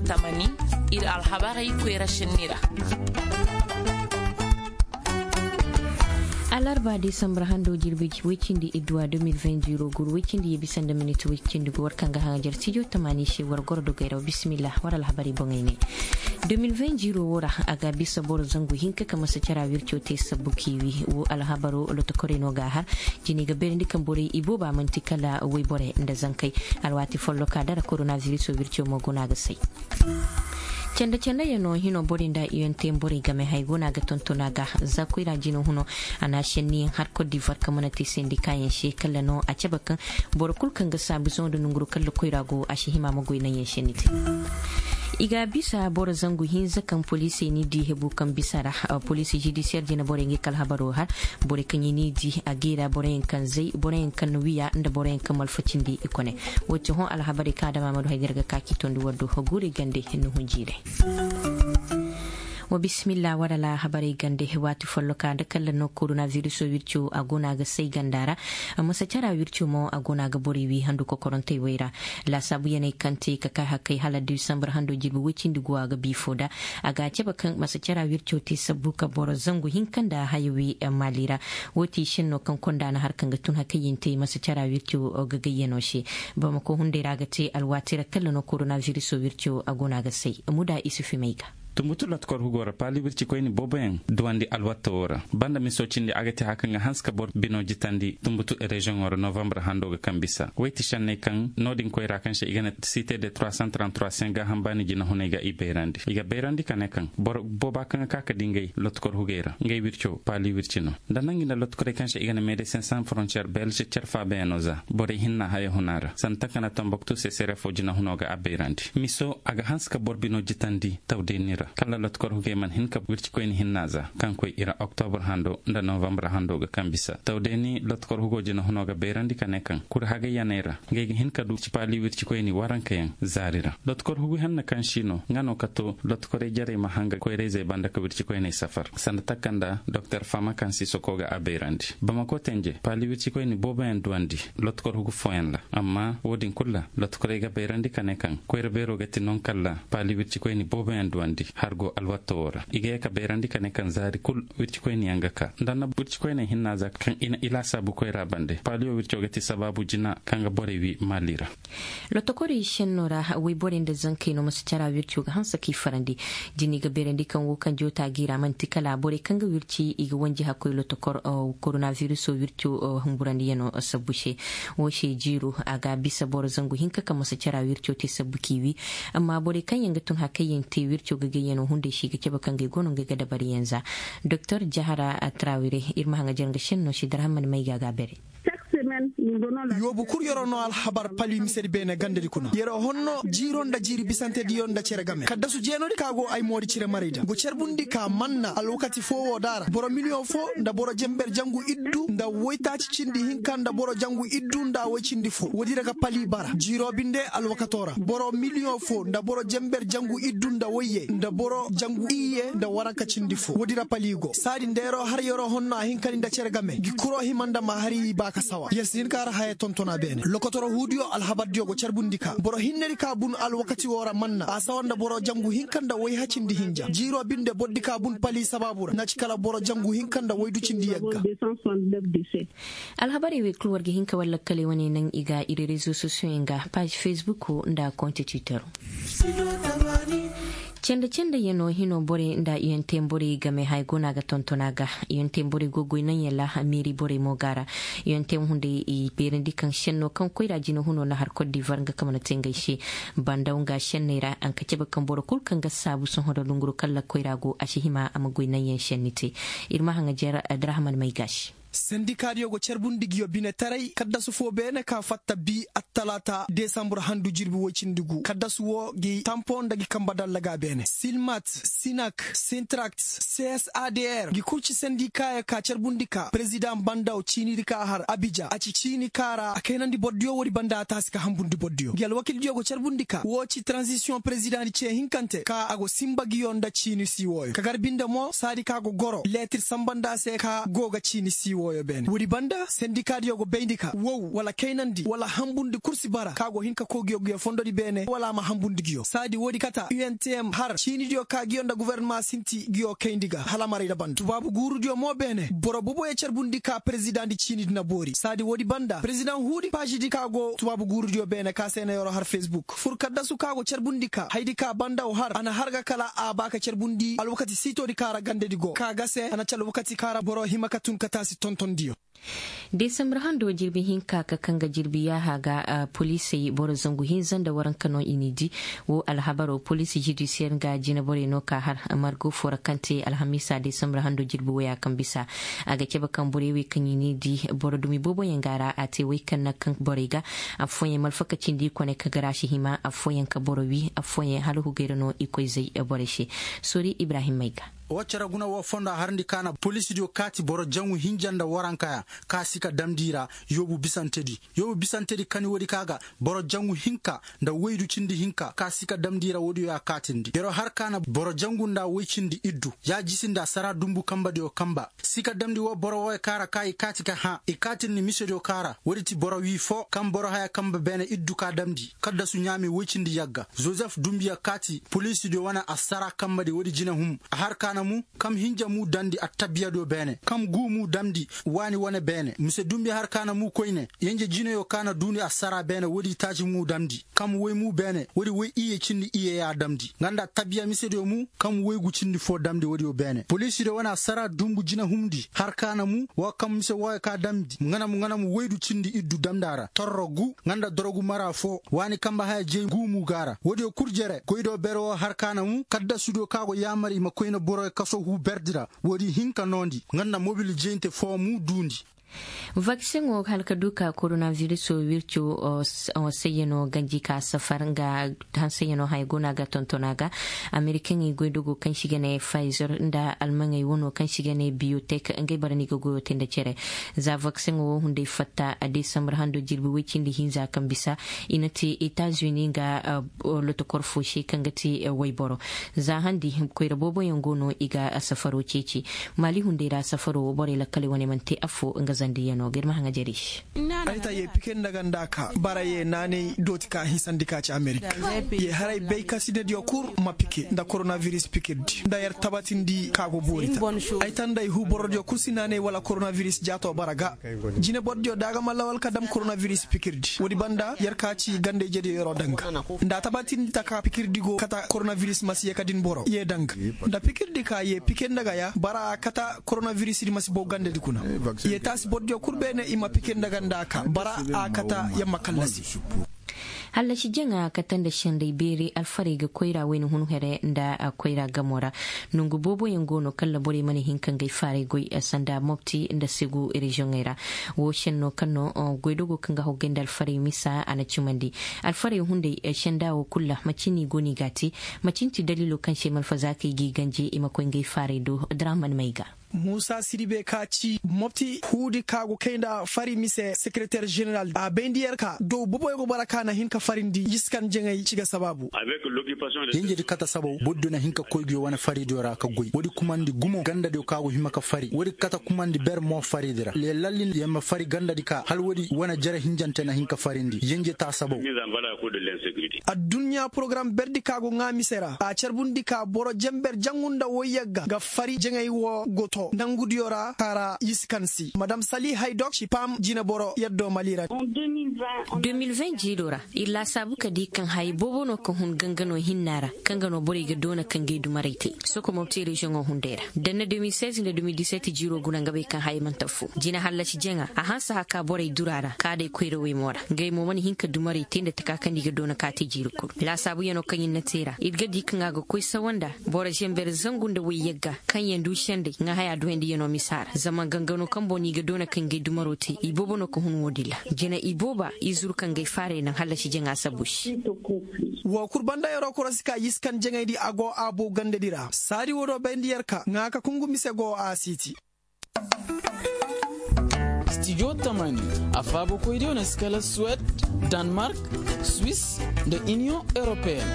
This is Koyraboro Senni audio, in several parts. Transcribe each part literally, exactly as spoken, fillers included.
Tamani, ir alhabarey koyra šenni ra. Alarba desambar hando jirbi woy cindi idduwa deux mille vingt ziro gur woy cindi ye bisa nda minit woy cindi gu war kaŋ ga haŋajar studio tamani se war goro dogey ra wa bisimillah war alhabarey boŋey ne. Deux mille vingt ziro wo ra, a ga bisa boro zangu hinka ka masa cara wirco te sabbu kiwi wo alhabaro lotokorey no ga a har. Jini ga beerandi kaŋ borey ibooba manti kala woyborey nda zankey. Alwaati folloka dara koronaviriso wirco mo go no a ga say. Canda canda yaŋ no hino borey nda iyonte borey game hay go no a ga tonton a ga. Za koyra jino huno, a na a senniyaŋ har kot divar kaŋ mana te sendikayaŋ se kala no a cabe kaŋ boro kul kaŋ ga saabu zaŋo nda nonguru kala koyra go a si hima ma goy naŋyaŋ senni te. I ga bisa boro zangu hinza kaŋ poliisey ni di hebu kaŋ bisa ra. Poliisi judisiyer jina borey ngey ka alhabaro har. Borey kaŋ i ni di a geera boroyaŋ kaŋ zay boroyaŋ kaŋ na wiya nda boroyaŋ kaŋ malfa cindi i kone. Wo ti hõ alhabarey kaŋ adama ma du hay ga ir ga ka k'i tondi war do guurey gande nuhun jiirey. Wa bisimilla war alhabarey gande waati folloka nda kala no koronaviriso wirco a go no a ga say ganda ra. Masa cara wirco mo a go no a ga borey wi handu kokorantey wey ra. Laasaabu yaney kaŋ te ka kay hakkey hala disambar hando jirbi woy cindi go a ga biifo nda. A ga a cabe kaŋ masa cara wirco te sabbu ka boro zangu hinka nda haya wi maali ra. Wo ti senno kaŋ konda na har kaŋ ga tun hakkey yintey masa cara wirco ga gayyano se. Bamako hunday ra ga te alwaati ra kala no koronaviriso wirco a go no a ga say. Muda isufi may ga. Tumbutu lotkor hugo ra paali wircikoyni booboyaŋ duwandi alwatta wo ra. Banda miso cindi a ga te haya kaŋ ga hanse ka boro bino jitandi tumbutu reziyoŋo ra novambar hando ga kaŋ bisa woy ti senney kaŋ no-din koyra kaŋ se i ga ne site de trois cent trente-trois se gaaham baani jinahuney ga i bayrandi i ga bayrandi ka ne kaŋ boro booba kaŋ ga ka ka di ngey lotkor hugey ra ngey wirco paali wirci no. Nda nangi nda lotkorey kaŋ se i ga ne medesin san frontiyer belge cer faabayaŋo za borey hinna haya huna ra sanda taka nda tomboktu se sere fo jinahuno ga a bayrandi miso a ga hanse ka boro bino jitandi tawdeeni ra kala lotkor hugey mana hin ka wircikoyni hinna za kaŋ koy i ra oktobur hando nda novambar hando ga kaŋ bisa tawdeeni lotkor hugo jinahuno ga bayrandi ka ne kaŋ kuri hagayyaney ra ngey ga hin ka du paali wircikoyni warankayaŋ zaari ra. Lotkor hugu henna kaŋ si no nga no ka to lotkorey jarey ma hanga koyra-izey banda ka wircikoyney safar sanda taka nda doktor fama kaŋ si soko ga a bayrandi bamako tenje paali wircikoyni booboyaŋ duwandi lotkor hugu fooyaŋ ra. Amma wo-din kul ra lotokorey ga bayrandi ka ne kaŋ koyra beero ga ti nonkalla paali wircikoyni booboyaŋ duwandi har go alwatta wo ra i ga ye ka bayrandi ka ne kaŋ zaari kul wircikoyniyaŋ ga ka nda na wircikoyney hinna za kaŋ i na i laasaabu koyra bande paaliyo wirco ga ti sabaabu jina kaŋ ga borey wi maali ra. Lotokorey senno ra wayborey nda zankey no masa cara wirco ga hanse k'i farandi. Jini ga beerandi kaŋ wo kaŋ joota gi ra man'ti kala borey kaŋ ga wirci i ga wanji hakkoy lotokor koronaviriso wirco humburandiyano sabbu se. Wo se jiiro a ga bisa boro zangu hinka kaŋ masa cara wirco te sabbu k'i wi. Amma borey kaŋ yaŋ ga tun hakayyaŋ te wirco ga gayyano hunday se i ga cabe kaŋ ga i go no ngey ga dabariyaŋ za. Doktor jahara trawire ir ma haŋajer nga senno se darhamman may ga a ga a bere. Yoobu kul yer'o no alhabar pali misedi beene gandedi kuna yer'o honno jiiro nda jiiri bisantediyo nda cere game kaddasu jeenodi ka go ay moodi cire marayda go carbundi ka manna alwakati foo woo da ra boro miliyoŋ foo nda boro jenber jangu iddu nda woytaaci cindi hinka nda boro jangu iddu nda woy cindi foo woodi ra ga pali bara jiiro binde alwakato ra boro miliyoŋ foo nda boro jenber jangu iddu nda woyye nda boro jangu iyye nda waranka cindi foo woodi ra pali go saadi nda yer'o har yer'o honno a hin ka ni nda cere game ngi kuroo hima nda ma hari i ba ka sawa yer si hin ka har haya tonton a beene lokotoro huudiyo alhabardiyo go carbundi ka boro hinnedi ka bun alwakati woo ra manna a sawa nda boro jangu hinka nda woy hacindi hinja jiiroo binde bordi ka bun pali sabaabu ra na ci kala boro jangu hinka nda woy du cindi yagga. Alhabarey wey kul war ga hin ka war lakkaley wane naŋ i ga ir rezo sosiyoŋ ga paazi fesbuk nda konti twitter. Cende cende yaŋ no hino borey nda iyonte borey game haya go no a ga tonton a ga iyonte borey go goy naŋ yaŋ ra meeri borey mo ga a ra. Iyonte hunday i beerandi kaŋ senno kaŋ koyra jina huno na har kot divar nga kaŋ mana te ngey se. Bandaw nga senney ra a nga cabe kaŋ boro kul kaŋ ga saabu sohõ nda lunguru kaŋ lakkoy ra go a si hima a ma goy naŋ yaŋ senni te. Ir ma haŋajer abdurahman may ga a se. Sendikaadiyo go carbundi nguyo binetaray kaddasu foo beene ka fatta bi attalaata desambur handu jirbi woy cindi gu kaddasu woo gi tampo nda gi kamba dalla ga beene silmat, sinak, sintrakt, csadr ngi kul ci sendikaayo ka carbundi ka perezidaŋ bandaw ciinidi ka har abija a ci ciini ka ra a kaynandi bordiyo woodi banda a taasi ka hambundi bordiyo ngi alwakildiyo go carbundi ka woo ci taranzisiyoŋ perezidaŋdi cee hinkante ka a go sinba nguyo nda ciini sii wooyo ka gar binde mo saadi ka go goro leetir sanba nda a se ka go ga ciini sii wooyo. Woodi banda sendikaadiyo go bayndi ka wow wala kaynandi wala hambundi kul si bara ka go hin ka koy nguyo fondodi beene wala a ma hambundi nguyo saadi woodi kata u n t m har ciinidiyo ka nguyo nda gofornama sinti nguyo kayndi ga hala a ma rey nda banda tubaabu guurudiyo mo beene boro boboyo carbundi ka perezidaŋ di ciinidi na boori saadi woodi banda perezidaŋ huudi paazidi ka go tubaabu guurudiyo beene ka se na yeroo har fesbuk fur kaddasu ka go carbundi ka hayadi ka banda wo har a na har ga kala a ba ka carbundi alwakati siitoodi ka ra gandedi go ka ga se a na ci alwakati ka ra boro hima ka tun ka taasi tontondiyo. Desambar hando jirbi hinka ka kaŋ ga jirbi yaaha ga poliisey boro zangu hinza nda waranka no i n'i di. Wo alhabaro poliisi judisiyer nga jineborey no ka har margo foo ra kaŋ te alhamiisa desambar hando jirbi woya kaŋ bisa. A ga cabe kaŋ borey wey kaŋ i n'i di boro dumi booboyaŋ ga a ra a te wey kaŋ na kaŋ borey ga. Affooyaŋ malfaka cindi i kone ka garaasi hima affooyaŋ ka boro wi affooyaŋ hala hugey ra no i koy zay borey se. Soori ibrahim may ga. Woo cere guna woo fondo a harndi ka na poliisidiyo kaati boro jaŋu hinja nda warankayaŋ ka si ka damndi i ra. Yoobu bisantedi yoobu bisantedi kani woodi ka ga boro jaŋu hinka nda woydu cindi hinka ka si ka damndi i ra woodiyo y'a kaatindi yeroo har ka na boro jaŋu nda woy cindi iddu ya jisindi a sara dumbu kambadiyo kamba. Si ka damndi woo boro wooyo ka ra ka i kaati ka hã i kaatindi misediyo ka ra woodi ti boro wii foo kaŋ boro haya kamba beene iddu ka damndi kaddasu ɲaami woy cindi yagga zozef dumbuya kaati poliisidiyo wane assara kambadi woodi jinehum. A har ka na mu kam hinja mu damndi attabiyadiyo beene kam guu mu damndi waani wane beene mise dumbi har ka na mu koyne yenje jineyo ka na duundi assara beene woodi taaci mu damndi kam woy mu beene woodi woy iyye cindi iyye y'a damndi nga nda attabiya misediyo mu kam woygu cindi foo damndi woodiyo beene poliisidiyo wane assara dumbu jinehumdi har ka na mu woo kam mise wooyo ka damndi nga na mu nga na mu woydu cindi iddu damndi a ra torro gu nga nda dorogu mara foo waani kamba haya jey guu mu ga a ra woodiyo kul jere goydo ber woo har ka na mu kaddasudiyo ka go yaamar i ma koyne boroyo kaso huu berdi ra woodi hinka noondi nga nda mobil jeyinte foo mu duundi. Vakseŋo hala ka du ka koronavirisoo wirco. Sayyanoo ganji ka safar nga hansayanoo haya go no a ga tonton a ga amerikaŋey goydogoo kaŋ se i ga ne fizer nda almaŋey wanoo kaŋ se i ga ne biyotek ngey bara no i ga goyoo te nda cere. Za vakseŋo woo hunday fatta desambar hando jirbi woy cindi hinza kaŋ bisa i na te etazuni nga lotokor foo se kaŋ ga te woyboro. Za handi koyra booboyaŋ go no i ga safaroo ceeci. Maali hunday ra safaroo borey lakkaley wane mana te affoo nga zandiyanoo ga ir ma haŋajerey se. Ay ta ye pike nda ga nda ka bara ye naanay dooti ka hinsandi ka ci amerika ye haray bay ka sinadiyo kul ma pike nda koronaviris pikirdi nda yer tabatindi ka go boori ta. Ay ta nda ay huu borodiyo kul si naanay wala koronaviris jaatoo bara ga. Jine borodiyo da a ga ma lawal ka dam koronaviris pikirdi woodi banda yer ka ci ganda ijediyo yeroo daŋ ga nda a tabatindi ta ka pikirdi go kata koronaviris ma si ye ka din boro ye daŋ ga. Nda pikirdi ka ye pike nda ga ya bara a kata koronavirisdi ma si bow gandadi kuna. Ye taasi bordiyo kul beene i ma pike nda ga nda a ka bara a kata yamma kallasi. Hallasi jaŋa kate nda senday beeri alfarey ga koyra wayna hun here nda koyra gamo ra. Nongu booboyaŋ go no kalla borey mana hin ka ngay faaray goy sanda mopti nda segu reziyoŋey ra. Woo senno kaŋ no goydogo kaŋ ga haggay nda alfarey misa a na cimandi. Alfarey hunday senda woo kul ra macin no i go no i ga a te? Macin ti daliilo kaŋ se malfazaakey g'i ganji i ma koy ngay faaray do draman may ga. Muusa siribe ka ci mopti huudi ka go kay nda fari mise sekereter jeneral a bayndi yer ka dow boboyo go bara ka na hin ka farindi yiskan jaŋay ci ga sabaabu. Yenjedi kate sabaw bordiyo na hin ka koy nguyo wane faridiyo ra ka goy woodi kumandi gumo gandadiyo ka go hima ka fari woodi kate kumandi ber mo faridi ra leelallin yer ma fari gandadi ka hala woodi wane jere hinjante na hin ka farindi yenje taa sabaw. Adduɲɲa porogaram berdi ka go ŋaa mise ra a carbundi ka boro jenber jaŋu nda woy yagga ga fari jaŋay woo go too ndangudiyo ra ka ra yisi kan si madam sali haydok ci paam jineboro yaddo mali ra. De mil vingt jiiloo ra ir laasaabu ka di kaŋ haya boobo no ka hun ganganoo hinna ra kaŋ ga no borey ga doona ka ngay dumarey te soko mopti reziyoŋo hunday ra danna de mil seize nda de mil dix-sept jiiroo guna nga bay kaŋ haya mana taffu jina hallasi jaŋa a hanse haka borey dura ra ka day koyrawey mo ra ngay mo mana hin ka dumarey te nda taka kaŋ nda i ga doona ka te jiiri kul laasaabuyanoo kaŋ ir na te ra ir ga di kaŋ a ga koy sawa nda boro zember zangu nda woy yagga kaŋ yaŋ du senday ŋaahayaa duyandiyanoo misa ra zama gangano kaŋ boŋ no i ga doona kaŋ ngay dumaroo te iboobo no ka hun woodin ra jina ibooba i zuru kaŋ ngay faaray naŋ hallasi jaŋa sabu se. Woo kul banda yeroo korosi ka yiskan jaŋaydi a go a bow gandadi ra saadi woodoo bayndi yer ka ŋaa ka kungu mise go a siiti. Stijo tamani a faabakoydiyo na si kala suwed, danmark, swis, nda iniyoŋ europeyen.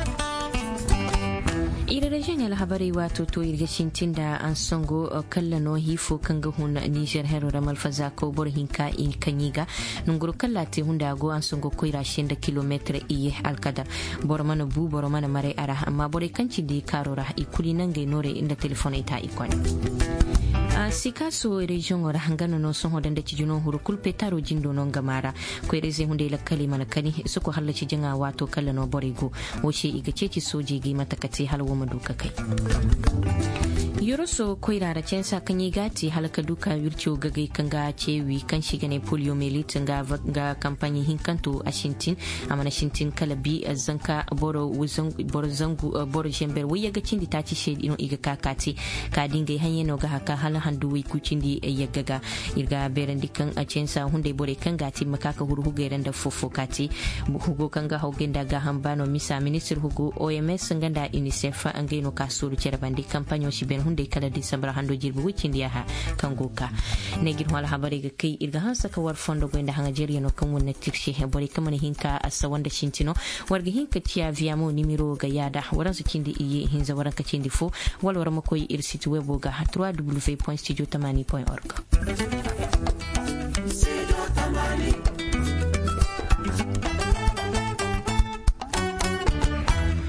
Ir reziyoŋ alhabarey waato to ir ga sintin nda ansango kalla no hiifo kaŋ ga hun nizer hero ra malfazaako boro hinka i kaŋ i ga nongoro kalla te hunda go ansango koyra se nda kilometir iye alkadar. Boro mana bu boro mana maray a ra amma borey kaŋ cindi kaaro ra i kulu i nangey noorey nda telefoney ta i kone. Sikaaso reziyoŋo ra nga no no sohõ da nda ciji no huru kulu petaro jindo no nga maa ra. Koyra-izey hunday lakkaley mana kani soko hallaci jaŋa waato kalla no borey go. Wo se i ga ceeci soojey ga i mate ka te hala wo ma du ka kay. Yoroso koyra ra censa kaŋ i ga a te hala ka du ka wirco gagay kaŋ ga ceewi kaŋ se i ga ne poliyomelit nga kampaɲi hinkanto a sintin. A mana sintin kala bi zanka boro zangu boro zember wayyaga cindi taaci se no i ga ka ka te. Ka di ngey haɲey no ga haka hala handu way kucindi yagga ga. Ir ga beerandi kaŋ censa hunday borey kaŋ ga a te ma ka ka huru hugey ra nda fofo ka te. Hugo kaŋ ga hawgay nda gaaham ba no misa ministir hugo oms nga nda inisef ngey no ka sooru cere bande kampaɲo si ben hunday kala disambar hando jirbi way cindi yaha kaŋ go ka. Ne ga ir hõ alhabarey ga kay ir ga hanse ka war fondo goy nda haŋajeriyano kaŋ wane tirse borey kaŋ mana hin ka sawa nda sinti no. War ga hin ka ciya viyamo nimiro ga yaada waransu cindi iyye hinza waranka cindi fo. Wala war ma koy ir siti webo ga trois w point studio tamani point org.